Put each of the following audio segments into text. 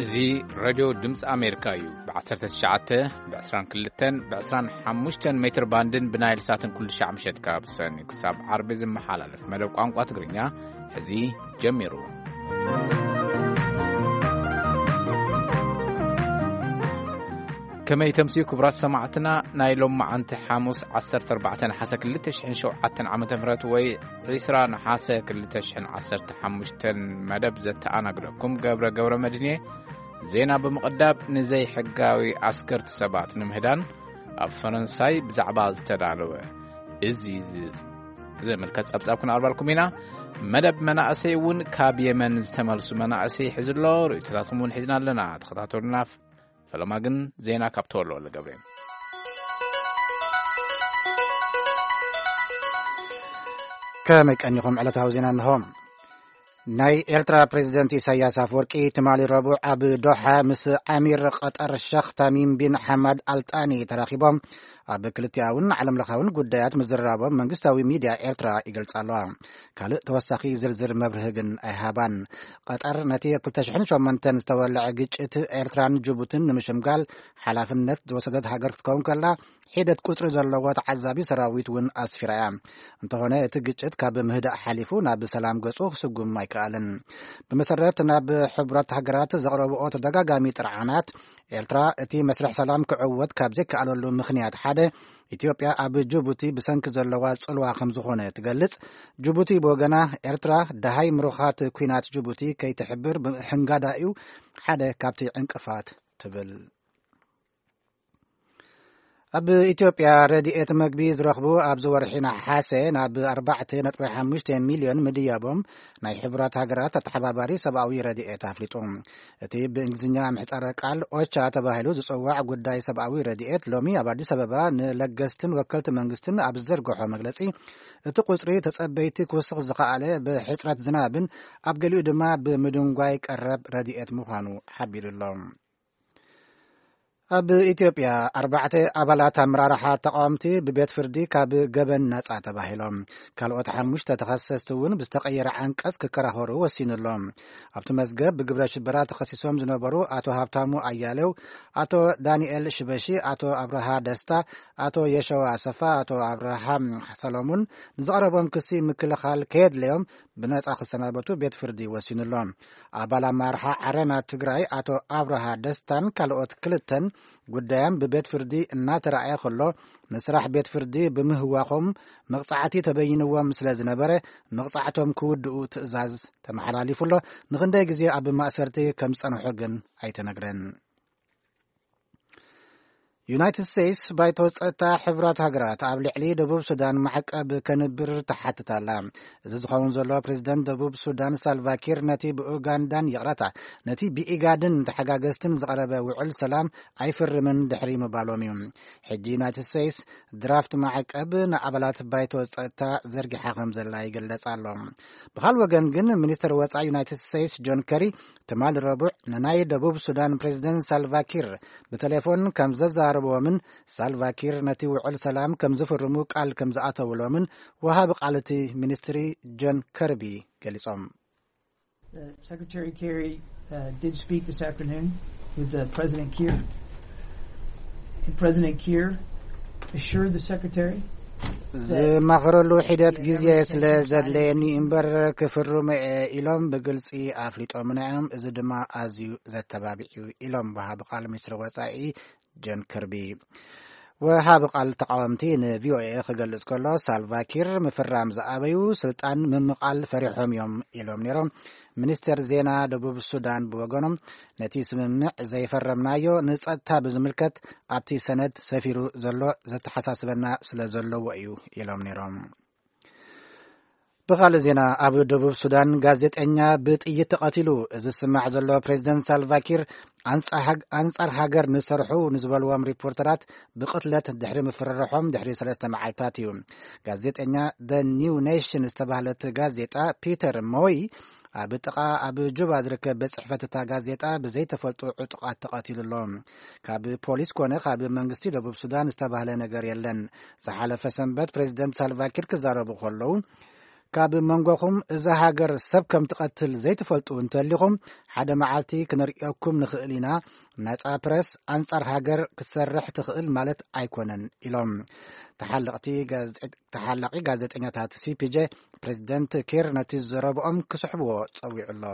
እዚ ሬድዮ ድምፂ ኣሜሪካ እዩ። ብ19፣ ብ22፣ ብ25 ሜትር ባንድን ብናይል ሳትን ኩሉ ሻዕ ምሸት ካብ ሰኒ ክሳብ ዓርቢ ዝመሓላለፍ መደብ ቋንቋ ትግርኛ ሕዚ ጀሚሩ። ከመይ ተምስዩ ክቡራት ሰማዕትና፣ ናይ ሎም መዓንቲ ሓሙስ ዓሰርተ ኣርባዕተ ነሓሰ ክልተ ሽሕን ሸውዓተን ዓመተ ምህረት ወይ ዒስራ ነሓሰ ክልተ ሽሕን ዓሰርተ ሓሙሽተን መደብ ዘተኣናግደኩም ገብረ ገብረ መድህን እየ። ዜና ብምቕዳብ፣ ንዘይሕጋዊ ኣስገርቲ ሰባት ንምህዳን ኣብ ፈረንሳይ ብዛዕባ ዝተዳለወ እዚ ዝ-፣ ዘመልከት ጸብጻብ ክነቕርበልኩም ኢና። መደብ መናእሰይ እውን ካብ የመን ዝተመልሱ መናእሰይ ሒዙ ኣሎ። ርእይቶታትኩም እውን ሒዝና ኣለና። ተኸታተሉና። ፈለማ ግን ዜና ካብ ተወልደ ወልደገብርኤል። ከመይ ቀኒኹም? ዕለታዊ ዜና እንሆ። ናይ ኤርትራ ፕሬዚደንት ኢሳያስ ኣፈወርቂ ትማሊ ረቡዕ ኣብ ዶሓ ምስ ኣሚር ቀጠር ሸኽ ታሚም ቢን ሓማድ ኣልጣኒ ተራኺቦም ኣብ ክልቲኣውን ዓለምለኻውን ጉዳያት ምዝርራቦም መንግስታዊ ሚድያ ኤርትራ ይገልጻ ኣለዋ። ካልእ ተወሳኺ ዝርዝር መብርሂ ግን ኣይሃባን። ቀጠር ነቲ ኣብ ክልተ ሽሕን ሸሞንተን ዝተወልዐ ግጭት ኤርትራን ጅቡትን ንምሽምጋል ሓላፍነት ዝወሰደት ሃገር ክትከውን ከላ፣ ሒደት ቁጽሪ ዘለዎ ተዓዛቢ ሰራዊት እውን ኣስፊራ እያ። እንተኾነ እቲ ግጭት ካብ ምህዳእ ሓሊፉ ናብ ሰላም ገጹ ክስጉም ኣይከኣልን። ብመሰረት ናብ ሕቡራት ሃገራት ዘቕረብኦ ተደጋጋሚ ጥርዓናት፣ ኤርትራ እቲ መስርሕ ሰላም ክዕወት ካብ ዘይከኣለሉ ምኽንያት ሓደ፣ ኢትዮጵያ ኣብ ጅቡቲ ብሰንኪ ዘለዋ ጽልዋ ከም ዝኾነ ትገልጽ። ጅቡቲ ብወገና፣ ኤርትራ ደሃይ ምሩኻት ኲናት ጅቡቲ ከይትሕብር ብሕንጋዳ እዩ ሓደ ካብቲ ዕንቅፋት ትብል። ኣብ ኢትዮጵያ ረድኤት መግቢ ዝረኽቡ ኣብዚ ወርሒ ነሓሰ ናብ ኣርባዕተ ነጥቢ ሓሙሽተ ሚልዮን ምድያቦም ናይ ሕቡራት ሃገራት ኣተሓባባሪ ሰብኣዊ ረድኤት ኣፍሊጡ። እቲ ብእንግሊዝኛ ምሕጻረ ቃል ኦቻ ተባሂሉ ዝጽዋዕ ጉዳይ ሰብኣዊ ረድኤት ሎሚ ኣብ ኣዲስ ኣበባ ንለገስትን ወከልቲ መንግስትን ኣብ ዝዘርግሖ መግለጺ፣ እቲ ቁጽሪ ተጸበይቲ ክውስኽ ዝኸኣለ ብሕጽረት ዝናብን ኣብ ገሊኡ ድማ ብምድንጓይ ቀረብ ረድኤት ምዃኑ ሓቢሩ ኣሎ። ኣብ ኢትዮጵያ ኣርባዕተ ኣባላት ኣመራርሓ ተቃወምቲ ብቤት ፍርዲ ካብ ገበን ነጻ ተባሂሎም። ካልኦት ሓሙሽተ ተኸሰስቲ እውን ብዝተቐየረ ዓንቀጽ ክከራኸሩ ወሲኑ ኣሎ። ኣብቲ መዝገብ ብግብረ ሽበራ ተኸሲሶም ዝነበሩ ኣቶ ሃብታሙ ኣያሌው፣ ኣቶ ዳንኤል ሽበሺ፣ ኣቶ ኣብርሃ ደስታ፣ ኣቶ የሸዋ ኣሰፋ፣ ኣቶ ኣብርሃም ሰሎሙን ንዝቐረቦም ክሲ ምክልኻል ከየድለዮም ብነጻ ክሰናበቱ ቤት ፍርዲ ወሲኑ ኣሎ። ኣባል ኣመራርሓ ዓረና ትግራይ ኣቶ ኣብርሃ ደስታን ካልኦት ክልተን ጉዳዮም ብቤት ፍርዲ እናተረኣየ ከሎ፣ ንስራሕ ቤት ፍርዲ ብምህዋኾም መቕጻዕቲ ተበይንዎም ስለ ዝነበረ፣ መቕጻዕቶም ክውድኡ ትእዛዝ ተመሓላሊፉ ኣሎ። ንኽንደይ ግዜ ኣብ ማእሰርቲ ከም ዝጸንሑ ግን ኣይተነግረን። ዩናይትድ ስቴትስ ባይቶ ጸጥታ ሕቡራት ሃገራት ኣብ ልዕሊ ደቡብ ሱዳን ማዕቀብ ከንብር ትሓትት ኣላ። እዚ ዝኸውን ዘሎ ፕሬዚደንት ደቡብ ሱዳን ሳልቫኪር ነቲ ብኡጋንዳን ይቕረታ፣ ነቲ ብኢጋድን ተሓጋገዝትን ዝቐረበ ውዕል ሰላም ኣይፍርምን ድሕሪ ምባሎም እዩ። ሕጂ ዩናይትድ ስቴትስ ድራፍት ማዕቀብ ንኣባላት ባይቶ ጸጥታ ዘርጊሓ ከም ዘላ ይግለጽ ኣሎ። ብኻል ወገን ግን ሚኒስትር ወጻኢ ዩናይትድ ስቴትስ ጆን ከሪ ትማሊ ረቡዕ ንናይ ደቡብ ሱዳን ፕሬዚደንት ሳልቫኪር ብቴሌፎን ከም ዘዛረብዎምን ሳልቫኪር ነቲ ውዕል ሰላም ከም ዝፍርሙ ቃል ከም ዝኣተውሎምን ወሃቢ ቃል እቲ ሚኒስትሪ ጆን ከርቢ ገሊጾም። Uh, Secretary Kerry, uh, did speak this afternoon with, uh, President Kiir. And President Kiir assured the Secretary that ዝማኸረሉ ሒደት ግዜ ስለ ዘድለየኒ እምበር ክፍርሙ እየ ኢሎም ብግልጺ ኣፍሊጦምና እዮም። እዚ ድማ ኣዝዩ ዘተባብዕ እዩ ኢሎም ወሃቢ ቃል ሚኒስትሪ ወጻኢ ጆን ከርቢ። ወሃቢ ቃል ተቃወምቲ ንቪኦኤ ክገልጽ ከሎ፣ ሳልቫኪር ምፍራም ዝኣበዩ ስልጣን ምምቓል ፈሪሖም እዮም ኢሎም ነይሮም። ሚኒስተር ዜና ደቡብ ሱዳን ብወገኖም፣ ነቲ ስምምዕ ዘይፈረምናዮ ንጸጥታ ብዝምልከት ኣብቲ ሰነድ ሰፊሩ ዘሎ ዘተሓሳስበና ስለ ዘለዎ እዩ ኢሎም ነይሮም። ብኻልእ ዜና፣ ኣብ ደቡብ ሱዳን ጋዜጠኛ ብጥይት ተቐቲሉ። እዚ ዝስማዕ ዘሎ ፕሬዚደንት ሳልቫኪር ኣንጻ-፣ ኣንጻር ሃገር ንሰርሑ ንዝበልዎም ሪፖርተራት ብቕትለት ድሕሪ ምፍርራሖም ድሕሪ ሰለስተ መዓልታት እዩ። ጋዜጠኛ ደ ኒው ኔሽን ዝተባህለት ጋዜጣ ፒተር ሞይ ኣብ ጥቓ ኣብ ጁባ ዝርከብ ቤት ጽሕፈት እታ ጋዜጣ ብዘይተፈልጡ ዕጡቓት ተቐቲሉ ኣሎ። ካብ ፖሊስ ኮነ ካብ መንግስቲ ደቡብ ሱዳን ዝተባህለ ነገር የለን። ዝሓለፈ ሰንበት ፕሬዚደንት ሳልቫኪር ክዛረቡ ከለዉ፣ ካብ መንጎኹም እዛ ሃገር ሰብ ከም ትቐትል ዘይትፈልጡ እንተሊኹም፣ ሓደ መዓልቲ ክንርእየኩም ንኽእል ኢና። ነጻ ፕረስ ኣንጻር ሃገር ክትሰርሕ ትኽእል ማለት ኣይኮነን ኢሎም። ተሓለቕቲ ጋዜጠ-፣ ተሓላቒ ጋዜጠኛታት ሲ ፒ ጄ ፕሬዚደንት ኪር ነቲ ዘረብኦም ክስሕብዎ ጸዊዑ ኣሎ።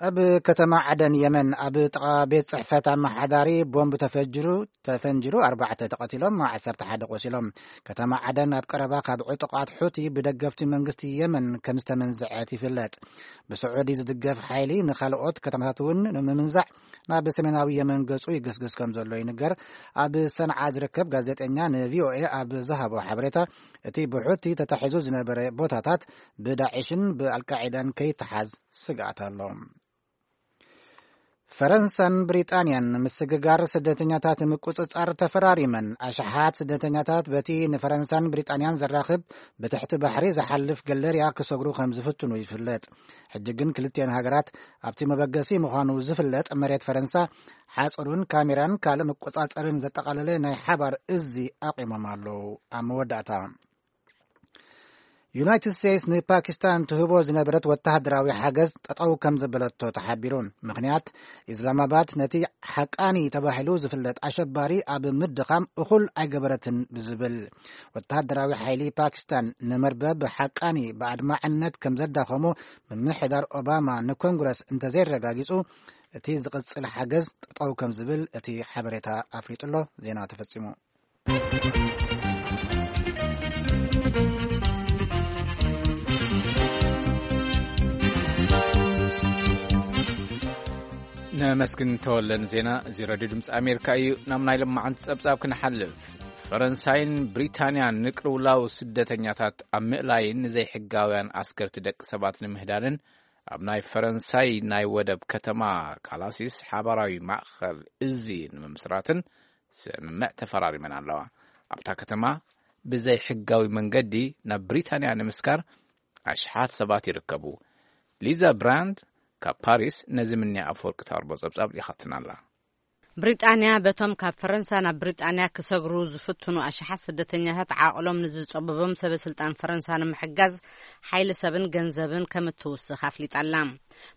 ኣብ ከተማ ዓደን የመን ኣብ ጥቓ ቤት ጽሕፈት ኣመሓዳሪ ቦምብ ተፈጅሩ፣ ተፈንጅሩ ኣርባዕተ ተቐቲሎም፣ ዓሰርተ ሓደ ቆሲሎም። ከተማ ዓደን ኣብ ቀረባ ካብ ዕጡቓት ሑቲ ብደገፍቲ መንግስቲ የመን ከም ዝተመንዝዐት ይፍለጥ። ብስዑዲ ዝድገፍ ሓይሊ ንኻልኦት ከተማታት እውን ንምምንዛዕ ናብ ሰሜናዊ የመን ገጹ ይግስግስ ከም ዘሎ ይንገር። ኣብ ሰንዓ ዝርከብ ጋዜጠኛ ን ቪ ኦ ኤ ኣብ ዝሃቦ ሓበሬታ፣ እቲ ብሑቲ ተታሒዙ ዝነበረ ቦታታት ብዳዕሽን ብኣልቃዒዳን ከይተሓዝ ስግኣት ኣሎ። ፈረንሳን ብሪጣንያን ምስግጋር ስደተኛታት ምቁጽጻር ተፈራሪመን። ኣሽሓት ስደተኛታት በቲ ንፈረንሳን ብሪጣንያን ዘራኽብ ብትሕቲ ባሕሪ ዝሓልፍ ገለርያ ክሰግሩ ከም ዝፍትኑ ይፍለጥ። ሕጂ ግን ክልቲአን ሃገራት ኣብቲ መበገሲ ምዃኑ ዝፍለጥ መሬት ፈረንሳ ሓጹሩን ካሜራን ካልእ መቆጻጸርን ዘጠቓለለ ናይ ሓባር እዚ ኣቑሞም ኣለዉ። ኣብ መወዳእታ፣ ዩናይትድ ስቴትስ ንፓኪስታን ትህቦ ዝነበረት ወተሃደራዊ ሓገዝ ጠጠው ከም ዘበለቶ ተሓቢሩ። ምኽንያት፣ ኢስላማባድ ነቲ ሓቃኒ ተባሂሉ ዝፍለጥ ኣሸባሪ ኣብ ምድኻም እኹል ኣይገበረትን ብዝብል። ወተሃደራዊ ሓይሊ ፓኪስታን ንመርበብ ሓቃኒ ብኣድማዕነት ከም ዘዳኸሞ ምምሕዳር ኦባማ ንኮንግረስ እንተዘይረጋጊጹ፣ እቲ ዝቕጽል ሓገዝ ጠጠው ከም ዝብል እቲ ሓበሬታ ኣፍሊጡ ኣሎ። ዜና ተፈጺሙ። ነመስግን ተወለን ዜና። እዚ ረድዮ ድምፂ ኣሜሪካ እዩ። ናብ ናይ ለማዓንቲ ፀብፃብ ክንሓልፍ፣ ፈረንሳይን ብሪታንያን ንቅልውላው ስደተኛታት ኣብ ምእላይን ንዘይሕጋውያን ኣስገርቲ ደቂ ሰባት ንምህዳንን ኣብ ናይ ፈረንሳይ ናይ ወደብ ከተማ ካላሲስ ሓባራዊ ማእኸል እዚ ንምምስራትን ስምምዕ ተፈራሪመን ኣለዋ። ኣብታ ከተማ ብዘይ ሕጋዊ መንገዲ ናብ ብሪታንያ ንምስጋር ኣሽሓት ሰባት ይርከቡ። ሊዛ ብራንድ ካብ ፓሪስ ነዚ ምንያ ኣፈወርቂ ታርቦ ጸብጻብ ልኢኻትና ኣላ። ብሪጣንያ በቶም ካብ ፈረንሳ ናብ ብሪጣንያ ክሰግሩ ዝፍትኑ ኣሽሓት ስደተኛታት ዓቕሎም ንዝጸበቦም ሰበ ስልጣን ፈረንሳ ንምሕጋዝ ሓይሊ ሰብን ገንዘብን ከም እትውስኽ ኣፍሊጣ ኣላ።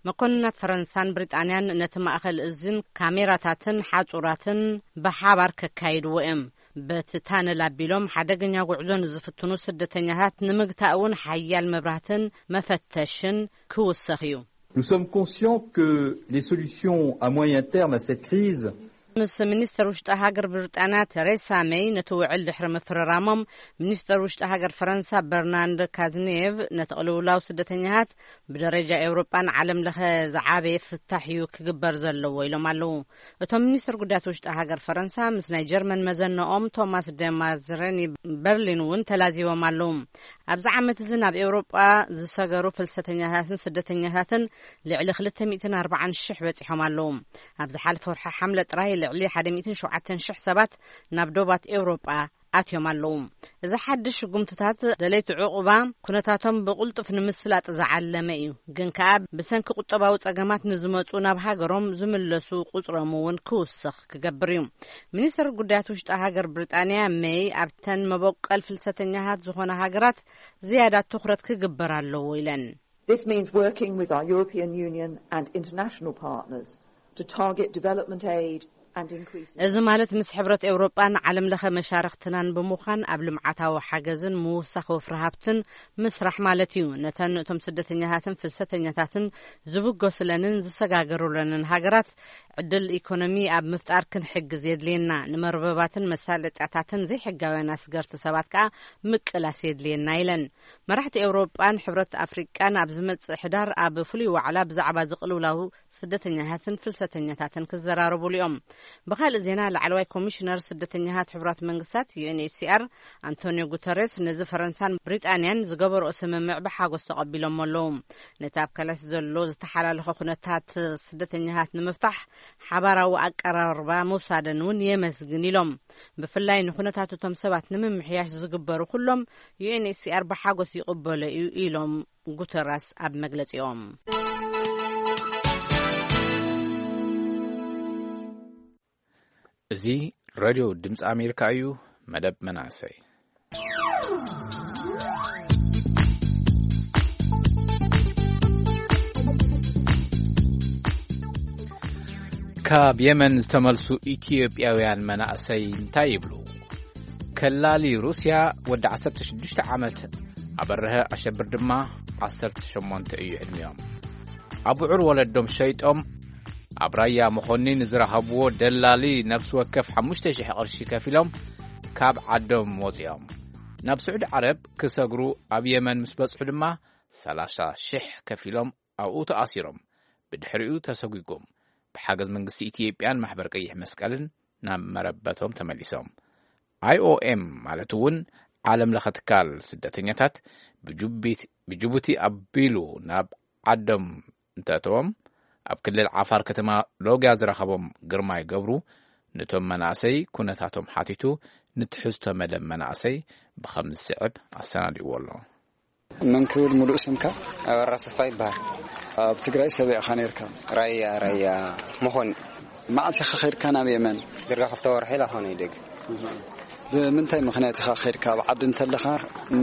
መኮንናት ፈረንሳን ብሪጣንያን ነቲ ማእከል እዝን ካሜራታትን ሓጹራትን ብሓባር ከካይድዎ እዮም። በቲ ታነል ኣቢሎም ሓደገኛ ጉዕዞ ንዝፍትኑ ስደተኛታት ንምግታእ እውን ሓያል መብራህትን መፈተሽን ክውሰኽ እዩ። Nous sommes conscients que les solutions à moyen terme à cette crise ምስ ሚኒስተር ውሽጢ ሃገር ብሪጣንያ ቴሬሳ ሜይ ነቲ ውዕል ድሕሪ ምፍርራሞም፣ ሚኒስተር ውሽጢ ሃገር ፈረንሳ በርናንድ ካዝኔቭ ነቲ ቅልውላው ስደተኛታት ብደረጃ ኤውሮጳን ዓለም ለኸ ዝዓበየ ፍታሕ እዩ ክግበር ዘለዎ ኢሎም ኣለዉ። እቶም ሚኒስተር ጉዳያት ውሽጢ ሃገር ፈረንሳ ምስ ናይ ጀርመን መዘነኦም ቶማስ ደማዝረኒ በርሊን እውን ተላዚቦም ኣለዉ። ኣብዚ ዓመት እዚ ናብ ኤውሮጳ ዝሰገሩ ፍልሰተኛታትን ስደተኛታትን ልዕሊ ክልተ ሚእትን ኣርባዓን ሽሕ በጺሖም ኣለዉ። ኣብ ዝሓለፈ ወርሒ ሓምለ ጥራይ ልዕሊ ሓደ ሚእትን ሸውዓተን ሽሕ ሰባት ናብ ዶባት ኤውሮጳ ኣትዮም ኣለዉ። እዚ ሓድሽ ስጉምትታት ደለይቲ ዕቑባ ኩነታቶም ብቕልጡፍ ንምስላጥ ዝዓለመ እዩ፣ ግን ከኣ ብሰንኪ ቁጠባዊ ጸገማት ንዝመጹ ናብ ሃገሮም ዝምለሱ ቁጽሮም እውን ክውስኽ ክገብር እዩ። ሚኒስተር ጉዳያት ውሽጢ ሃገር ብሪጣንያ ሜይ ኣብተን መበቆል ፍልሰተኛታት ዝኾና ሃገራት ዝያዳ ትኹረት ክግበር ኣለዎ ኢለን። This means working with our European Union and international partners to target development aid and increase እዚ ማለት ምስ ሕብረት ኤውሮጳን ዓለም ለኸ መሻርኽትናን ብምዃን ኣብ ልምዓታዊ ሓገዝን ምውሳኽ ወፍሪ ሃብትን ምስራሕ ማለት እዩ። ነተን እቶም ስደተኛታትን ፍልሰተኛታትን ዝብገሱለንን ዝሰጋገሩለንን ሃገራት ዕድል ኢኮኖሚ ኣብ ምፍጣር ክንሕግዝ የድልየና። ንመርበባትን መሳለጥያታትን ዘይሕጋውያን ኣስገርቲ ሰባት ከኣ ምቅላስ የድልየና ኢለን። መራሕቲ ኤውሮጳን ሕብረት ኣፍሪቃን ኣብ ዝመጽእ ሕዳር ኣብ ፍሉይ ዋዕላ ብዛዕባ ዝቕልውላው ስደተኛታትን ፍልሰተኛታትን ክዘራረቡሉ እዮም። ብኻልእ ዜና፣ ላዕለዋይ ኮሚሽነር ስደተኛታት ሕቡራት መንግስታት ዩ ኤን ኤች ሲ ኣር ኣንቶኒዮ ጉተሬስ ነዚ ፈረንሳን ብሪጣንያን ዝገበርኦ ስምምዕ ብሓጎስ ተቐቢሎሞ ኣለዉ። ነቲ ኣብ ካላሲ ዘሎ ዝተሓላለኸ ኩነታት ስደተኛታት ንምፍታሕ ሓባራዊ ኣቀራርባ ምውሳደን እውን የመስግን ኢሎም። ብፍላይ ንኩነታት እቶም ሰባት ንምምሕያሽ ዝግበሩ ኩሎም ዩ ኤን ኤች ሲ ኣር ብሓጎስ ይቕበሎ እዩ ኢሎም ጉተራስ ኣብ መግለጺኦም። እዚ ሬድዮ ድምፂ ኣሜሪካ እዩ። መደብ መናእሰይ። ካብ የመን ዝተመልሱ ኢትዮጵያውያን መናእሰይ እንታይ ይብሉ? ከላሊ ሩስያ ወዲ ዓሰርተ ሽዱሽተ ዓመት፣ ኣበርሀ ኣሸብር ድማ ዓሰርተ ሸሞንተ እዩ ዕድሚኦም። ኣቡዑር ወለዶም ሸይጦም ኣብ ራያ መኾኒ ንዝረኸብዎ ደላሊ ነፍሲ ወከፍ ሓሙሽተ ሽሕ ቅርሺ ከፊሎም ካብ ዓዶም ወፂኦም። ናብ ስዑዲ ዓረብ ክሰግሩ ኣብ የመን ምስ በጽሑ ድማ ሰላሳ ሽሕ ከፊሎም ኣብኡ ተኣሲሮም። ብድሕሪኡ ተሰጒጎም ብሓገዝ መንግስቲ ኢትዮጵያን ማሕበር ቀይሕ መስቀልን ናብ መረበቶም ተመሊሶም። ኣይ ኦ ኤም ማለት እውን ዓለም ለኸ ትካል ስደተኛታት ብጁቢት-፣ ብጅቡቲ ኣቢሉ ናብ ዓዶም እንተእተዎም፣ ኣብ ክልል ዓፋር ከተማ ሎጊያ ዝረኸቦም ግርማይ ገብሩ ነቶም መናእሰይ ኩነታቶም ሓቲቱ ንትሕዝቶ መደብ መናእሰይ ብኸም ዝስዕብ ኣሰናዲእዎ ኣሎ። መን ክብል ሙሉእ ስምካ? ኣበራ ሰፋ ይበሃል። ኣብ ትግራይ ሰበይ ኢኻ ነይርካ? ራያ፣ ራያ መኾኒ። መዓስ ኢኻ ኸይድካ ናብ የመን? ድርጋ ክልተ ወርሒ ኢላ ኾነ ይደግ። ብምንታይ ምኽንያት ኢኻ ኸይድካ? ኣብ ዓዲ እንተለኻ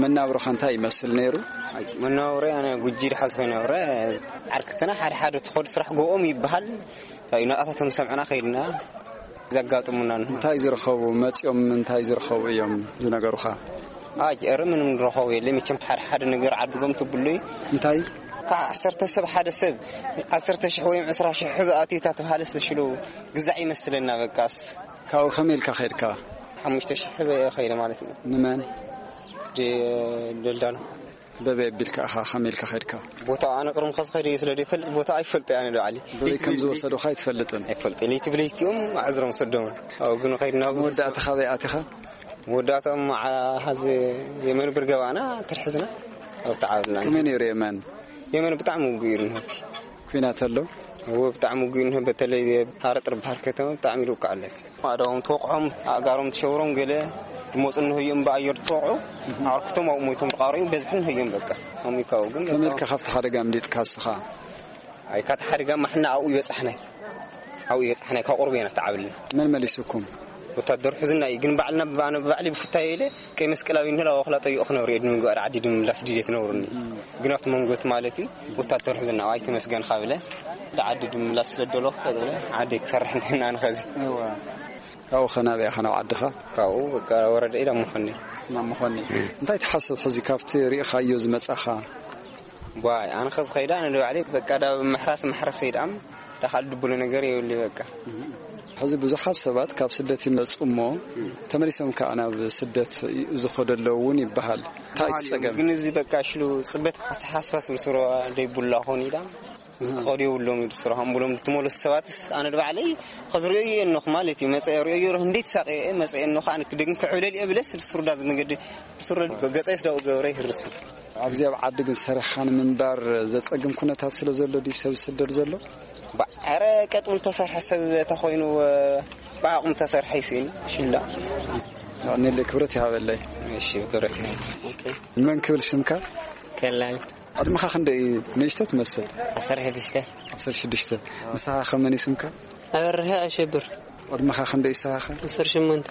መናብሮኻ እንታይ ይመስል ነይሩ? መናብሮ ኣነ ጉጂ ድሓዝ ኮይነ ብረ ዓርክትና ሓደ ሓደ ትኸዱ ስራሕ ጎኦም ይበሃል። እንታይ እዩ፣ ናጣታቶም ሰምዕና ከይድና ዘጋጥሙና እንሆ። እንታይ ዝረኸቡ መፂኦም፣ እንታይ ዝረኸቡ እዮም ዝነገሩኻ? ኣጭ፣ ኧረ ምንም ዝረኸቡ የለ። መቸም ሓደ ሓደ ነገር ዓድጎም ትብሉ እዩ። እንታይ? ካብ ዓሰርተ ሰብ ሓደ ሰብ ዓሰርተ ሽሕ ወይም ዕስራ ሽሕ ሒዙ ኣትዩ እታ ተባሃለ ዝተሽሉ ግዛዕ ይመስለና በቃስ። ካብኡ ከመይ ኢልካ ኸይድካ? ሓሙሽተ ሽሕ በየ ኸይደ ማለት እዩ። ንመን? ደ-፣ ደልዳሎ። በበይ ኣቢልካ ኢኻ፣ ከመይ ኢልካ ኸይድካ? ቦታ ኣነ ቅድም ከዚ ኸይደ ስለ ዘይፈልጥ ቦታ ኣይፈልጥ ኣነ ዶ ዓሊ። በበይ ከም ዝወሰዱኻ ኣይትፈልጥን? ኣይፈልጥ። ለይቲ ብለይቲኦም ኣዕዝሮም ሰዶም። ኣብኡ ግን ኸይድና መወዳእታ ካበይ ኣቲኻ? መወዳእታ መዓ-፣ ሐዚ የመን ብር ገባና ተርሕዝና። ኣብቲ ዓብና። ከመይ ነይሩ የመን? የመን ብጣዕሚ ውጉእ እዩ ነቲ። ኲናት ኣሎ? እዎ፣ ብጣዕሚ ውጉእ እንሆ፣ በተለይ ሃረጥ ባሕር ከተማ ብጣዕሚ ይልውቃ ኣለት። ኣእዳዎም ተወቕዖም፣ ኣእጋሮም ተሸውሮም፣ ገለ ድመፁ እንሆ እዮም ብኣየር ተወቕዑ፣ ኣዕርክቶም ኣብኡ ሞይቶም ተቓረዩ በዝሒ እንሆ እዮም በቃ። ኣሚካኡ ግን ከመይ በቃ ኢልካ ካብቲ ሓደጋ ኣምሊጥካ እስኻ? ኣይ፣ ካብቲ ሓደጋ ማሕና ኣብኡ ይበጻሕናይ። ኣብኡ ይበጻሕናይ፣ ካብ ቁርብ ኢና ተዓብልና። መን መሊሱኩም? ወታደር ሑዝና እዩ፣ ግን ባዕልና ብባዕና ብባዕሊ ብፍታየ ኢለ ቀይ መስቀላዊ እንህላ ወክላ ጠይቑ ክነብሩ እየ፣ ንምግባር ዓዲ ድምላስ ድሌት ነብሩኒ። እም። ግን ኣብቲ መንጎት ማለት እዩ፣ ወታደር ሑዝና፣ ኣይ ተመስገን ካብለ፣ ዓዲ ድምላስ ስለ ደሎ ክፈጥረ፣ ዓዲ ክሰርሕ ንሕና ንኸዚ። እዋ። ካብኡ ኸ ናበይ ኢኻ ናብ ዓድኻ? ካብኡ በቃ ወረደ ኢላ መኾኒ። ናብ መኾኒ። እንታይ ትሓስብ ሕዚ ካብቲ ርኢኻዮ ዝመጻኻ? ዋይ፣ ኣነ ኸዚ ኸይዳ፣ ኣነ ንባዕለይ በቃ ዳ ምሕራስ ምሕረስ ኸይዳም፣ ዳ ካልእ ድብሎ ነገር የብሉ በቃ። ሕዚ ብዙሓት ሰባት ካብ ስደት ይመጹ እሞ፣ ተመሊሶም ከኣ ናብ ስደት ዝኸዱ ኣለዉ እውን ይበሃል። እንታይ እቲ ጸገም? ግን እዚ በቃ ሽሉ ጽበት ኣተሓሳስባ ስለ ስሮ ደይብሉ ኣኾን ኢዳም፣ እዚ ክኸዱ የብሎም እዩ ስራሖም ብሎም ዝትመለሱ ሰባትስ፣ ኣነ ንባዕለይ ኸዚ ርእዮ እየ እኖኹ ማለት እዩ። መጸ ርእዮ እየ፣ እንዴት ሳቀ እየ፣ መጸ እየ እኖኹ፣ ኣነ ክደግም ክዕብለል እየ ብለስ፣ ስሩዳ ዝመገድ፣ ስሩ ገጸይ ስዳው ገብረ ይህርስ። ኣብዚ ኣብ ዓዲ ግን ሰሪሕኻ ንምንባር ዘጸግም ኩነታት ስለ ዘሎ ድዩ ሰብ ዝስደድ ዘሎ? ባ-፣ ኧረ ቀጥ ብሉ ተሰርሐ ሰብ ተኾይኑ፣ ብዓቕሙ ተሰርሐ ይስእን ሽላ። ኣኔለ ክብረት ይሃበለይ። እሺ፣ ክብረት ይሃበለይ። መን ክብል ሽምካ? ከላል። ዕድመኻ ክንደይ እዩ? ንእሽቶ ትመስል። ዓሰርተ ሽዱሽተ። ዓሰርተ ሽዱሽተ። ንስኻ ከ መን እዩ ስምካ? ኣበርሀ ኣሸብር። ዕድመኻ ክንደይ እዩ ንስኻ ከ? ዓሰርተ ሸሞንተ።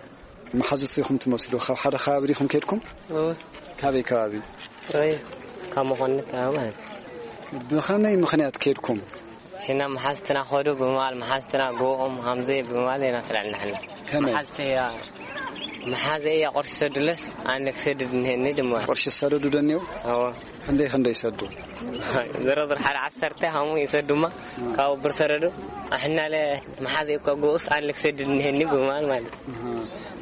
መሓዙት ኢኹም ትመስሉ። ካብ ሓደ ከባቢ ዲኹም ከድኩም? እወ። ካበይ ከባቢ? ራያ። ካብ መኾኒ ከባቢ ማለት እዩ። ብኸመይ ምኽንያት ከድኩም? ሽና መሓዝትና ኸዱ ብምባል፣ መሓዝትና ጎኦም ሃምዘ ብምባል ኢና ተላዕልና ሓና። ከመይ? መሓዝተያ፣ መሓዘያ ቁርሲ ሰዱለስ ኣነ ክሰድድ እንሄኒ ድማ። ቁርሲ ሰደዱ ደንየው? እወ። ክንደይ ክንደይ ሰዱ? ዝረዝር ሓደ ዓሰርተ ሃሙ ይሰዱማ፣ ካብኡ ብር ሰደዱ። ኣሕናለ መሓዘ እኮ ጎኡስ ኣነ ክሰድድ እንሄኒ ብምባል ማለት። እህ።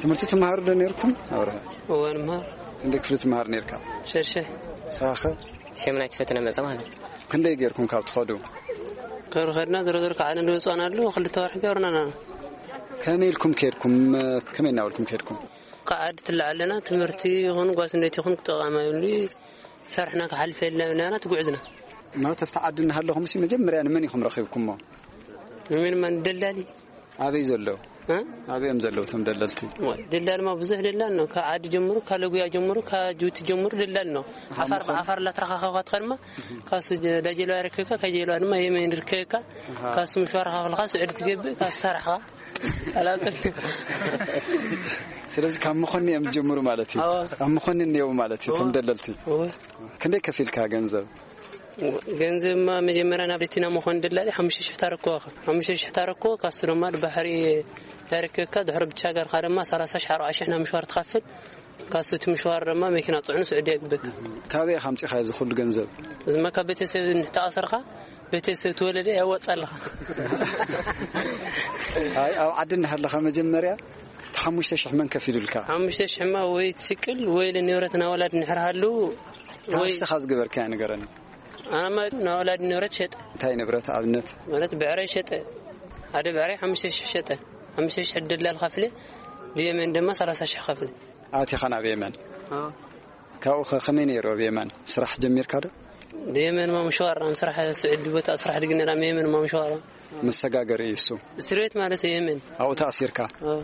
ትምህርቲ ትመሃሩ ዶ ነርኩም? ኣብርሃ። እወ፣ ንመሃር። ክንደይ ክፍሊ ትመሃር ነርካ? ሸድሻይ። ሳኸ? ሸምናይ ፈተነ መጸ ማለት። ክንደይ ጌርኩም ካብ ትኸዱ? ካብ ኸድና ዝረዝር ከዓነ ንወጽኣና ኣለዉ፣ ክልተ ወርሒ ገርናና። ከመይ ኢልኩም ከድኩም? ከመይ እናበልኩም ከድኩም? ከዓዲ ትለዓለና፣ ትምህርቲ ይኹን ጓስ እንዴት ይኹን ክጠቓማ ይብሉ፣ ሰርሕና ክሓልፍ የለና፣ ትጉዕዝና። ማለት ኣብቲ ዓዲ እናሃለኹም ሲ መጀመርያ ንመን ኢኹም ረኺብኩሞ? ንመን ማን ደላሊ? ኣበይ ዘለዉ? እ? ኣበይ እዮም ዘለዉ እቶም ደለልቲ? ወይ፣ ደላል ማ ብዙሕ ደላል ነው። ካብ ዓዲ ጀምሩ፣ ካብ ለጉያ ጀምሩ፣ ካብ ጅቡቲ ጀምሩ ደላል ነው። ዓፋር፣ መኾን- ብዓፋር እናተረኻኸብካ ትኸድማ፣ ካሱ ጀ-፣ ዳጀልባ ይርከብካ፣ ካብ ጀልባ ድማ የመን ይርከብካ፣ ኣሃ። ካሱ ምሽዋር ከፍልካ፣ ስዑዲ ትገብእ፣ ካሱ ሰራሕኻ። ኣላውቅን። ስለዚ ካብ መኾኒ እዮም ዝጀምሩ ማለት እዩ። ኣዎ። ኣብ መኾኒ እኒአው ማለት እዩ፣ እቶም እዎ። ደለልቲ። እዎ። ክንደይ ከፊልካ ገንዘብ? ገንዘብማ መጀመርያ ናብ ሪቲና መኾን ደላሊ ሓሙሽተ ሽሕ ታረክቦ። ሓሙሽተ ሽሕ ታረክቦ፣ ካሱ ድማ ባሕሪ ያረክበካ። ድሕሪ ብቻ ጋርካ ድማ ሰላሳ ሽሕ ኣርባዓ ሽሕ ናብ ምሽዋር ትኸፍል። ካሱ እቲ ምሽዋር ድማ መኪና ጽዕኑ ስዑዲ የግበካ። ካበይ ኢኻ ኣምጺኻ እዚ ኩሉ ገንዘብ? እዚማ ካብ ቤተሰብ እንተኣሰርካ፣ ቤተሰብ ትወለደ ያወጻልኻ። ኣይ፣ ኣብ ዓዲ እናሃለኻ መጀመርያ እቲ ሓሙሽተ ሽሕ መን ከፊሉልካ? ሓሙሽተ ሽሕ ማ ወይ ትስቅል ወይ ለንብረት ናወላድ ንሕርሃሉ ወይ ንስኻ ዝገበርካያ ንገረኒ። ኣናማ ናወላድ ንብረት ሸጠ። እንታይ ንብረት ኣብነት? ማለት ብዕራይ ሸጠ። ሓደ ብዕራይ ሓሙሽተ ሽሕ ሸጠ። ሓሙሽተ ሽሕ ደላል ከፍለ፣ ብየመን ድማ ሰላሳ ሽሕ ከፍለ። ኣቲኻ ናብ የመን? ኣዎ። ካብኡ ኸ ከመይ ነይሩ ኣብ የመን? ስራሕ ጀሚርካ ዶ? ብየመን ማምሸዋር፣ ኣብ ስራሕ ስዑዲ ቦታ ስራሕ ድግነራ የመን ማምሸዋር። መሰጋገሪ እዩ እሱ። እስር ቤት ማለት እዩ የመን። ኣብኡ ተኣሲርካ? ኣዎ።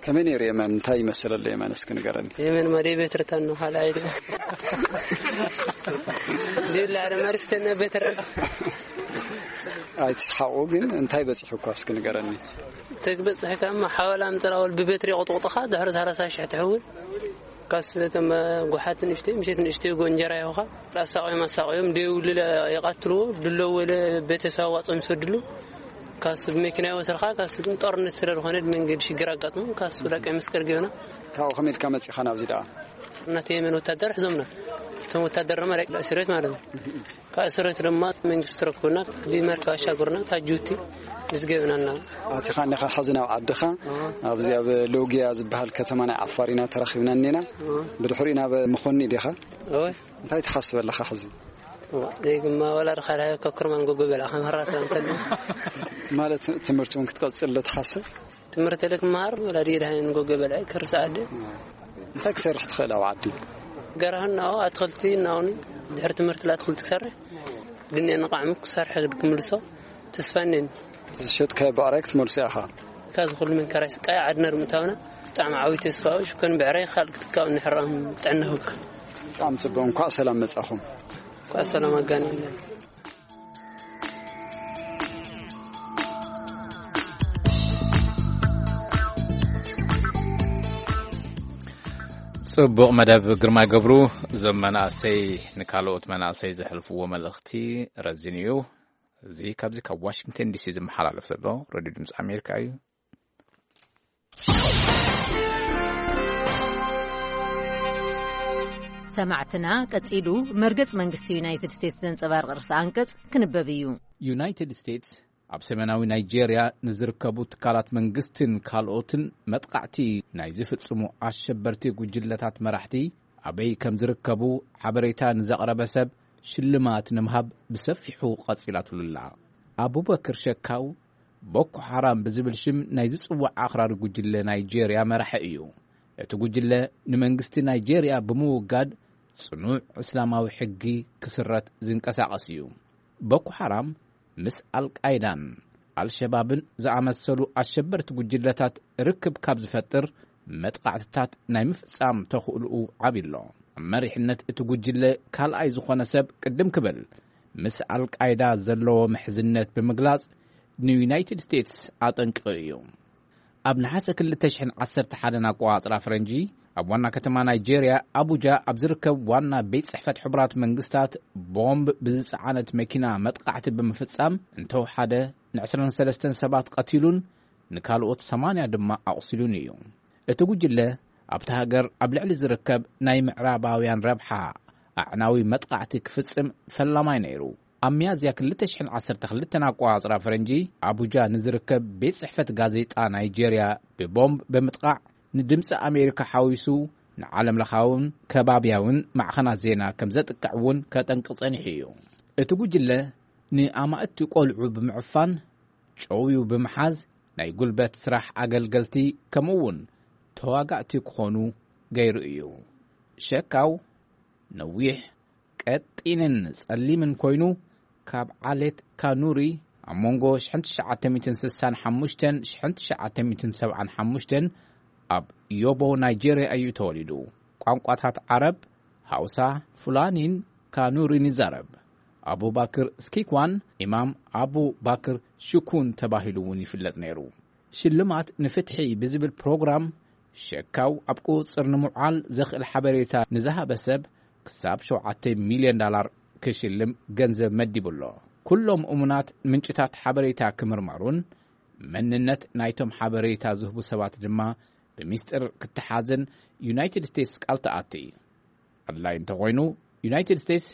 ከመይ ነይሩ የመን? እንታይ ይመስል ኣሎ የመን? እስኪ ንገረኒ። የመን ማ ደይ ቤት ርታን ነው፣ ካልኣይ ዶ። ደላ ደ መርስተነ ቤት ርታ። ኣይትስሓቑ ግን እንታይ በፂሑኳ እስኪ ንገረኒ። ተግበፅሕካ ማ ሓወላ ምፅራወል ብቤትሪ ቁጥቁጥኻ ድሕሪ ሰላሳ ሽሕ ትሕውል። ካሱ እቶም ጓሓት ንእሽተይ፣ ምሸት ንእሽተይ ጎ እንጀራ ይኹኻ። ኣሳቕዮም ኣሳቕዮም ደይውልለ ይቐትልዎ። ድለው ወለ ቤተሰብ ኣዋፅኦም ይሰድሉ። ካሱ ብመኪና ይወስድኻ። ካሱ ግን ጦርነት ስለ ዝኾነ መንገዲ ሽግር ኣጋጥሙ። ካሱ ዳ ቀይ መስቀል ገይሩና። ካብኡ ከመይ ኢልካ መጺኻ ናብዚ ደኣ? እናተ የመን ወታደር ሕዞምና። እቶም ወታደር ድማ ደቂ እስር ቤት ማለት ነው። ካብ እስር ቤት ድማ መንግስቲ ረክቡና፣ ብመርከብ ኣሻግሩና፣ ካብ ጅቡቲ ምስ ገብናና። ኣቲኻ እኒኻ ሕዚ ናብ ዓድኻ፣ ኣብዚ ኣብ ሎጊያ ዝበሃል ከተማ ናይ ዓፋር ኢና ተራኺብና እኒና። ብድሕሪኡ ናብ መኾኒ ዲኻ? እወ። እንታይ ትሓስብ ኣለኻ ሕዚ? እዋ፣ ደይ ግማ ወላ ርኻ ርሃ ከክርማን ጎጎ በላ ከም ህራ ስላም ተሉ። ማለት ትምህርቲ እውን ክትቀጽል ዶ ትሓስብ? ትምህርቲ ለክ መሃር ወላ ደይ ርሃ ጎጎ በላ ክርሳ ኣደ። እንታይ ክሰርሕ ትኽእል ኣብ ዓዲ? ገራህና ኣትክልቲ እናውን ድሕሪ ትምህርቲ ላ ኣትክልቲ ክሰርሕ። ድንያ ንቃዕሙ ክሰርሕ ክምልሶ ተስፋ እኔን። ዝሸጥካዮ ብዕራይ ክትመልሶ ኢኻ? ካብ ዝኹሉ መንከራይ ስቃይ ዓድና ድምእታውና ብጣዕሚ ዓብዪ ተስፋ እዩ። ሽኮን ብዕራይ ካልእ ክትካእ ንሕራም ጥዕና ህብካ። ብጣዕሚ ጽቡቕ። እንኳዕ ሰላም መጻኹም። እንኳዕ ሰላም ኣጋነና። ጽቡቕ መደብ ግርማይ ገብሩ። እዞም መናእሰይ ንካልኦት መናእሰይ ዘሕልፍዎ መልእኽቲ ረዚን እዩ። እዚ ካብዚ ካብ ዋሽንግተን ዲሲ ዝመሓላለፍ ዘሎ ሬድዮ ድምፂ ኣሜሪካ እዩ። ሰማዕትና፣ ቀጺሉ መርገጽ መንግስቲ ዩናይትድ ስቴትስ ዘንጸባርቕ ርእሰ ኣንቀጽ ክንበብ እዩ። ዩናይትድ ስቴትስ ኣብ ሰሜናዊ ናይጄርያ ንዝርከቡ ትካላት መንግስትን ካልኦትን መጥቃዕቲ ናይ ዝፍጽሙ ኣሸበርቲ ጉጅለታት መራሕቲ ኣበይ ከም ዝርከቡ ሓበሬታ ንዘቕረበ ሰብ ሽልማት ንምሃብ ብሰፊሑ ቀጺላትሉ ኣላ። ኣቡበክር ሸካው ቦኮ ሓራም ብዝብል ሽም ናይ ዝጽዋዕ ኣኽራሪ ጉጅለ ናይጄርያ መራሒ እዩ። እቲ ጉጅለ ንመንግስቲ ናይጄርያ ብምውጋድ ጽኑዕ እስላማዊ ሕጊ ክስረት ዝንቀሳቐስ እዩ። ቦኮ ሓራም ምስ ኣልቃይዳን ኣልሸባብን ዝኣመሰሉ ኣሸበርቲ ጉጅለታት ርክብ ካብ ዝፈጥር መጥቓዕትታት ናይ ምፍጻም ተኽእልኡ ዓብዩ ኣሎ። ኣብ መሪሕነት እቲ ጉጅለ ካልኣይ ዝኾነ ሰብ ቅድም ክብል ምስ ኣልቃይዳ ዘለዎ ምሕዝነት ብምግላጽ ንዩናይትድ ስቴትስ ኣጠንቂቑ እዩ። ኣብ ነሓሰ ክልተ ሽሕን ዓሰርተ ሓደን ኣቆጻጽራ ፈረንጂ ኣብ ዋና ከተማ ናይጄርያ ኣቡጃ ኣብ ዝርከብ ዋና ቤት ጽሕፈት ሕቡራት መንግስታት ቦምብ ብዝጸዓነት መኪና መጥቃዕቲ ብምፍጻም እንተወሓደ ን ዕስራን ሰለስተን ሰባት ቀቲሉን ንካልኦት ሰማንያ ድማ ኣቑሲሉን እዩ። እቲ ጉጅለ ኣብቲ ሃገር ኣብ ልዕሊ ዝርከብ ናይ ምዕራባውያን ረብሓ ኣዕናዊ መጥቃዕቲ ክፍጽም ፈላማይ ነይሩ። ኣብ ሚያዝያ ክልተ ሽሕን ዓሰርተ ክልተን ኣቆጻጽራ ፈረንጂ ኣቡጃ ንዝርከብ ቤት ጽሕፈት ጋዜጣ ናይጄርያ ብቦምብ ብምጥቃዕ ንድምፂ ኣሜሪካ ሓዊሱ ንዓለም ለኻውን ከባብያውን ማዕኸናት ዜና ከም ዘጥቅዕ እውን ከጠንቅቕ ጸኒሑ እዩ። እቲ ጉጅለ ንኣማእቲ ቆልዑ ብምዕፋን፣ ጨውዩ ብምሓዝ፣ ናይ ጉልበት ስራሕ ኣገልገልቲ ከምኡ እውን ተዋጋእቲ ክኾኑ ገይሩ እዩ። ሸካው ነዊሕ፣ ቀጢንን ጸሊምን ኮይኑ፣ ካብ ዓሌት ካኑሪ ኣብ መንጎ ሽሕን ትሽዓተ ሚእትን ስሳን ሓሙሽተን ሽሕን ትሽዓተ ሚእትን ሰብዓን ሓሙሽተን ኣብ ዮቦ ናይጄርያ እዩ ተወሊዱ። ቋንቋታት ዓረብ፣ ሃውሳ፣ ፉላኒን ካኑሪን ይዛረብ። ኣቡባክር ስኪኳን ኢማም ኣቡ ባክር ሽኩን ተባሂሉ እውን ይፍለጥ ነይሩ። ሽልማት ንፍትሒ ብዝብል ፕሮግራም ሸካው ኣብ ቁጽጽር ንምውዓል ዘኽእል ሓበሬታ ንዝሃበ ሰብ ክሳብ ሸውዓተ ሚልዮን ዳላር ክሽልም ገንዘብ መዲቡ ኣሎ። ኩሎም እሙናት ምንጭታት ሓበሬታ ክምርመሩን መንነት ናይቶም ሓበሬታ ዝህቡ ሰባት ድማ ብሚስጥር ክትሓዝን ዩናይትድ ስቴትስ ቃል ትኣቲ። ኣድላይ እንተኾይኑ፣ ዩናይትድ ስቴትስ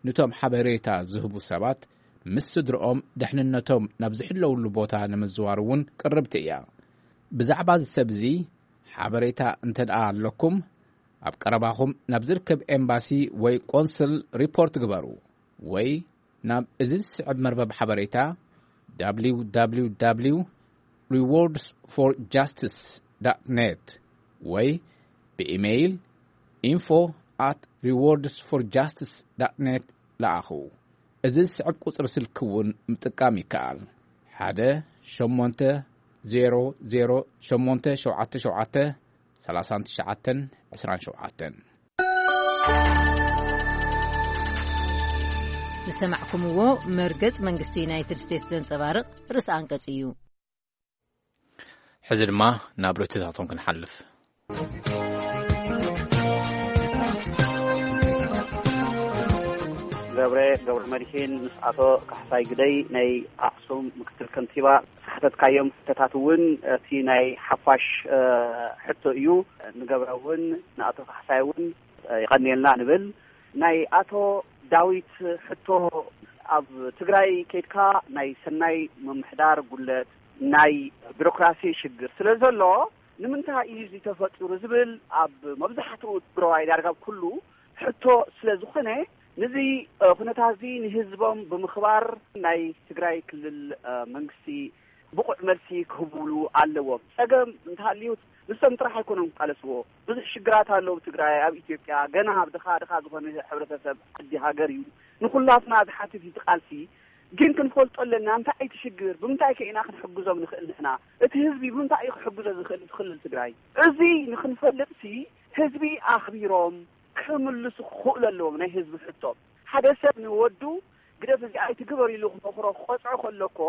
ንቶም ሓበሬታ ዝህቡ ሰባት ምስ ስድርኦም ደሕንነቶም ናብ ዝሕለውሉ ቦታ ንምዝዋር እውን ቅርብቲ እያ። ብዛዕባ እዚ ሰብ እዚ ሓበሬታ እንተ ደኣ ኣለኩም፣ ኣብ ቀረባኹም ናብ ዝርከብ ኤምባሲ ወይ ቆንስል ሪፖርት ግበሩ፣ ወይ ናብ እዚ ዝስዕብ መርበብ ሓበሬታ፣ www rewards for justice net፣ ወይ ብኢሜይል info at rewards for justice net ለኣኹ። እዚ ዝስዕብ ቁጽሪ ስልኪ እውን ምጥቃም ይከኣል። ሓደ ሸሞንተ ዜሮ ዜሮ ሸሞንተ ሸውዓተ ሸውዓተ ሰላሳን ትሽዓተን ዕስራን ሸውዓተን። ዝሰማዕኩምዎ መርገጽ መንግስቲ ዩናይትድ ስቴትስ ዘንጸባርቕ ርእሰ ኣንቀጽ እዩ። ሕዚ ድማ ናብ ርእይቶታቶም ክንሓልፍ። ገብረ፣ ገብረ መድሂን ምስ ኣቶ ካሕሳይ ግደይ ናይ ኣኽሱም ምክትል ከንቲባ ዝሓተትካዮም ሕቶታት እውን እቲ ናይ ሓፋሽ፣ እ፣ ሕቶ እዩ። ንገብረ እውን ንኣቶ ካሕሳይ እውን፣ እ፣ ይቐንየልና ንብል። ናይ ኣቶ ዳዊት ሕቶ፣ ኣብ ትግራይ ከይድካ ናይ ሰናይ ምምሕዳር ጉለት፣ ናይ ቢሮክራሲ ሽግር ስለ ዘሎ ንምንታይ እዩ እዚ ተፈጢሩ ዝብል ኣብ መብዛሕትኡ ትግራዋይ ዳርጋ ኩሉ ሕቶ ስለ ዝኾነ፣ ነዚ፣ እ፣ ኩነታት እዚ ንህዝቦም ብምኽባር ናይ ትግራይ ክልል፣ እ፣ መንግስቲ ብቑዕ መልሲ ክህብሉ ኣለዎም። ጸገም እንተሃልዩ ንሶም ጥራሕ ኣይኮኑን ክቃለስዎ። ብዙሕ ሽግራት ኣለዉ ኣብ ትግራይ፣ ኣብ ኢትዮጵያ። ገና ኣብ ድኻ ድኻ ዝኾነ ሕብረተሰብ ዓዲ ሃገር እዩ። ንኹላትና ዝሓትት እዩ እቲ ቃልሲ። ግን ክንፈልጦ ኣለና፣ እንታይ እዩ እቲ ሽግር? ብምንታይ ከ ኢና ክንሕግዞም ንኽእል ንሕና? እቲ ህዝቢ ብምንታይ እዩ ክሕግዞ ዝኽእል እቲ ክልል ትግራይ? እዚ ንኽንፈልጥሲ ህዝቢ ኣኽቢሮም ክምልሱ ክኽእሉ ኣለዎም ናይ ህዝቢ ሕቶ። ሓደ ሰብ ንወዱ ግደፍ እዚኣ ኣይትግበር ኢሉ ክመኽሮ ክቐጽዖ ከሎ እኮ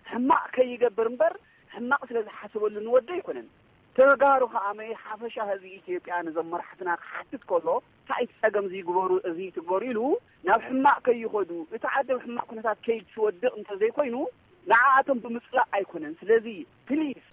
ሕማቕ ከይገብር እምበር ሕማቕ ስለ ዝሓሰበሉ ንወዱ ኣይኮነን። ተጋሩ ከኣ መይ ሓፈሻ ህዝቢ ኢትዮጵያ ነዞም መራሕትና ክሓትት ከሎ እንታይ እቲ ጸገም እዚ ይግበሩ፣ እዚ ይትግበሩ ኢሉ ናብ ሕማቕ ከይኸዱ፣ እቲ ዓዲ ኣብ ሕማቕ ኩነታት ከይትወድቕ እንተዘይኮይኑ ንዓኣቶም ብምጽላእ ኣይኮነን። ስለዚ ፕሊዝ።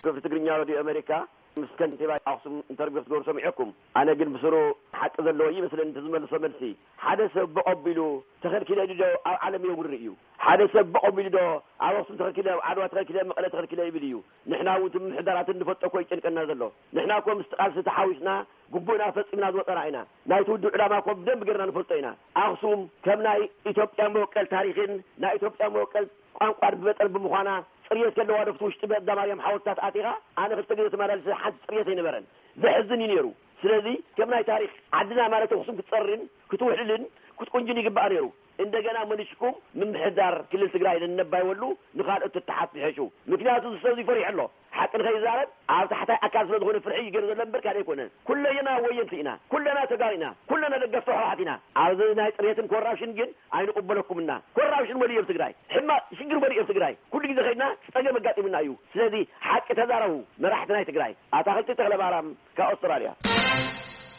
ክፍሊ ትግርኛ ሬድዮ ኣሜሪካ ምስ ከንቲባ ኣኽሱም ኢንተርቪው ክትገብሩ ሰሚዐኩም። ኣነ ግን ብስሩ ሓቂ ዘለዎ ይመስለኒ እቲ ዝመልሶ መልሲ። ሓደ ሰብ ብቐቢሉ ተኸልኪለ ኢሉ ዶ ኣብ ዓለም የውሪ እዩ? ሓደ ሰብ ብቐቢሉ ዶ ኣብ ኣኽሱም ተኸልኪለ፣ ኣብ ዓድዋ ተኸልኪለ፣ መቐለ ተኸልኪለ ይብል እዩ? ንሕና እውን እቲ ምምሕዳራት እንፈልጦ እኮ ይጨንቀና ዘሎ። ንሕና እኮ ምስቲ ቃልሲ ተሓዊስና ግቡእና ፈጺምና ዝወጸና ኢና። ናይቲ ውድብ ዕላማ እኮ ብደንቢ ጌርና ንፈልጦ ኢና። ኣኽሱም ከም ናይ ኢትዮጵያ መወቀል ታሪኽን ናይ ኢትዮጵያ መወቀል ቋንቋን ብመጠን ብምዃና ጽርየት ዘለዋ ዶ ኣብቲ ውሽጢ በዳ ማርያም ሓወልትታት ኣቲኻ? ኣነ ክልተ ግዜ ተመላሊሰ ሓንቲ ጽርየት ኣይነበረን። ዘሕዝን እዩ ነይሩ። ስለዚ ከም ናይ ታሪኽ ዓድና ማለት ኣኽሱም ክትጸርን ክትውሕልልን ክትቁንጅን ይግባእ ነይሩ። እንደገና መሊስኩም ምምሕዳር ክልል ትግራይ ነነባይ ወሉ ንኻልኦት ትተሓት ዝሕሹ። ምክንያቱ እዚ ሰብ እዚ ፈሪሑ ኣሎ። ሓቂ ንኸይዛረብ ኣብ ታሕታይ ኣካል ስለ ዝኾነ ፍርሒ ይገር ዘሎ እምበር ካልእ ኣይኮነን። ኩለና ወየንቲ ኢና፣ ኩለና ተጋሩ ኢና፣ ኩለና ደገፍቲ ህወሓት ኢና። ኣብዚ ናይ ጽሬትን ኮራፕሽን ግን ኣይንቕበለኩምና። ኮራፕሽን መሊኡ ኣብ ትግራይ፣ ሕማቕ ሽግር መሊኡ ኣብ ትግራይ። ኩሉ ግዜ ኸይድና ጸገም ኣጋጢሙና እዩ። ስለዚ ሓቂ ተዛረቡ መራሕቲ ናይ ትግራይ። ኣታኽልቲ ተኽለማርያም ካብ ኣውስትራልያ።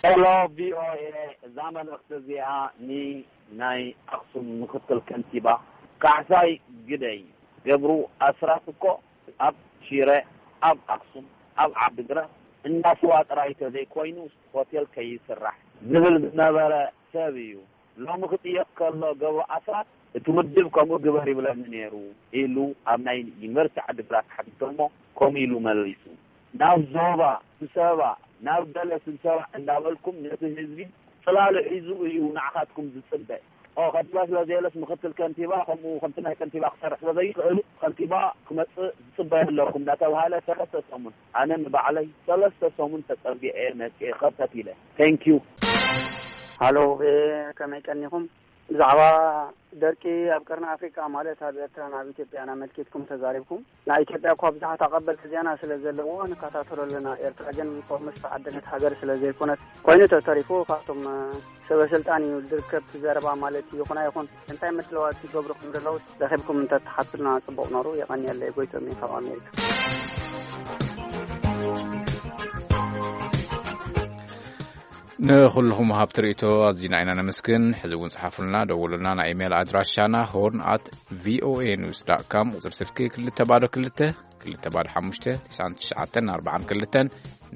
ሄሎ ቪኦኤ፣ እዛ መልእኽቲ እዚኣ ንናይ ኣኽሱም ምክትል ከንቲባ ካሕሳይ ግደይ። ገብሩ ኣስራት እኮ ኣብ ሽረ፣ ኣብ ኣኽሱም፣ ኣብ ዓዲግራት እንዳ ስዋ ጥራይ ተዘይኮይኑ ሆቴል ከይስራሕ ዝብል ዝነበረ ሰብ እዩ። ሎሚ ክጥየቅ ከሎ ገብሩ ኣስራት እቲ ውድብ ከምኡ ግበር ይብለኒ ነይሩ ኢሉ ኣብ ናይ ዩኒቨርሲቲ ዓዲግራት ሓቲቶሞ ከምኡ ኢሉ መሊሱ። ናብ ዞባ፣ ስብሰባ፣ ናብ ገለ ስብሰባ እንዳበልኩም ነቲ ህዝቢ ጽላሉ ሒዙ እዩ ንዓኻትኩም ዝጽበ። ኦ፣ ከንቲባ ስለ ዘየለስ ምክትል ከንቲባ ከምኡ ከምቲ ናይ ከንቲባ ክሰርሕ ስለ ዘይኽእል ከንቲባ ክመጽእ ዝጽበ ኣለኩም እንዳተባሃለ ሰለስተ ሰሙን፣ ኣነ ንባዕለይ ሰለስተ ሰሙን ተጸጊዐ መጽኤ ኸርተት ኢለ። Thank you። ሃሎ፣ እ፣ ከመይ ቀኒኹም? ብዛዕባ ደርቂ ኣብ ቀርኒ ኣፍሪቃ ማለት ኣብ ኤርትራን ኣብ ኢትዮጵያን ኣመልኪትኩም ተዛሪብኩም። ናይ ኢትዮጵያ እኳ ብዙሓት ኣቐበልቲ ዜና ስለ ዘለዎ ንከታተሎ ኣለና። ኤርትራ ግን ፎርምስ ተዓደለት ሃገር ስለ ዘይኮነት ኮይኑ ተተሪፉ ካብቶም፣ እ፣ ሰበ ስልጣን እዩ ዝርከብ እቲ ዘረባ ማለት ይኹን ኣይኹን። እንታይ መድለዋት ይገብሩ ከም ዘለዉ ረኺብኩም እንተተሓቱልና ጽቡቕ ነሩ። የቐንየለይ። ጎይቶም እየ ካብ ኣሜሪካ። ንኹልኹም ወሃብቲ ርእይቶ ኣዚና ኢና ነመስግን። ሕዚ እውን ጽሓፉልና፣ ደውሉልና። ናይ ኢሜይል ኣድራሻና ሆርን ኣት ቪኦኤ ኒውስ ዳት ካም፣ ቁጽሪ ስልኪ ክልተ ባዶ ክልተ፣ ክልተ ባዶ ሓሙሽተ፣ ትስዓን ትሽዓተን ኣርባዓን ክልተን፣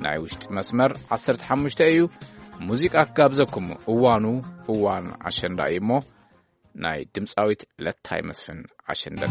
ናይ ውሽጢ መስመር ዓሰርተ ሓሙሽተ እዩ። ሙዚቃ ክጋብዘኩም፣ እዋኑ እዋን ኣሸንዳ እዩ እሞ፣ ናይ ድምፃዊት ለታይ መስፍን ኣሸንዳ።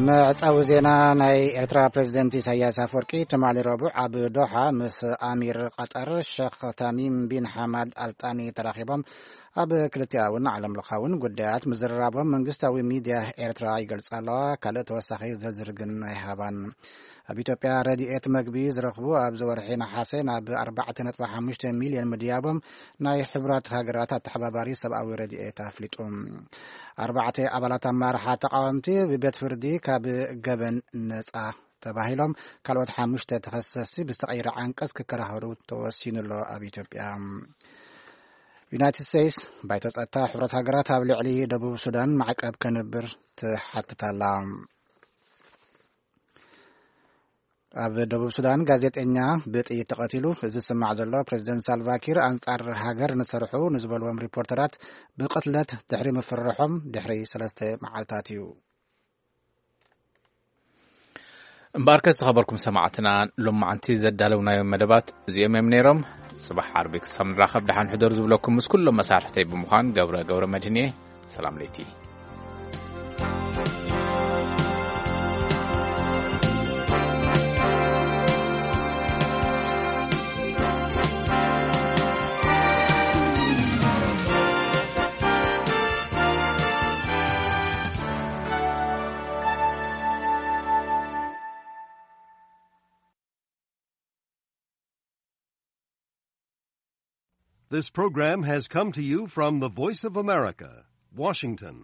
መዕጸዊ ዜና። ናይ ኤርትራ ፕሬዚደንት ኢሳያስ ኣፈወርቂ ትማሊ ረቡዕ ኣብ ዶሓ ምስ ኣሚር ቀጠር ሸኽ ታሚም ቢን ሓማድ ኣልጣኒ ተራኺቦም ኣብ ክልቲኣውን ዓለም ለኻውን ጉዳያት ምዝርራቦም መንግስታዊ ሚድያ ኤርትራ ይገልጻ ኣለዋ። ካልእ ተወሳኺ ዝርዝር ግን ኣይሃባን። ኣብ ኢትዮጵያ ረድኤት መግቢ ዝረኽቡ ኣብዚ ወርሒ ነሓሰ ናብ ኣርባዕተ ነጥቢ ሓሙሽተ ሚልዮን ምድያቦም ናይ ሕቡራት ሃገራት ኣተሓባባሪ ሰብኣዊ ረድኤት ኣፍሊጡ። ኣርባዕተ ኣባላት ኣመራርሓ ተቃወምቲ ብቤት ፍርዲ ካብ ገበን ነጻ ተባሂሎም፣ ካልኦት ሓሙሽተ ተኸሰስቲ ብዝተቐይረ ዓንቀጽ ክከራኸሩ ተወሲኑ ኣሎ። ኣብ ኢትዮጵያ፣ ዩናይትድ ስቴትስ ባይቶ ጸጥታ ሕብረት ሃገራት ኣብ ልዕሊ ደቡብ ሱዳን ማዕቀብ ከንብር ትሓትት ኣላ። ኣብ ደቡብ ሱዳን ጋዜጠኛ ብጥይት ተቐቲሉ። እዚ ዝስማዕ ዘሎ፣ ፕሬዚደንት ሳልቫኪር ኣንጻር ሃገር ንሰርሑ ንዝበልዎም ሪፖርተራት ብቕትለት ድሕሪ ምፍርሖም ድሕሪ ሰለስተ መዓልታት እዩ። እምበኣርከ ዝኸበርኩም ሰማዕትና፣ ሎማዓንቲ ዘዳለውናዮም መደባት እዚኦም እዮም ነይሮም። ጽባሕ ዓርቢ ክሳብ ንራኸብ ደሓን ሕደሩ ዝብለኩም ምስ ኩሎም መሳርሕተይ ብምዃን ገብረ ገብረ መድህን እየ። ሰላም ለይቲ። This program has come to you from the Voice of America, Washington.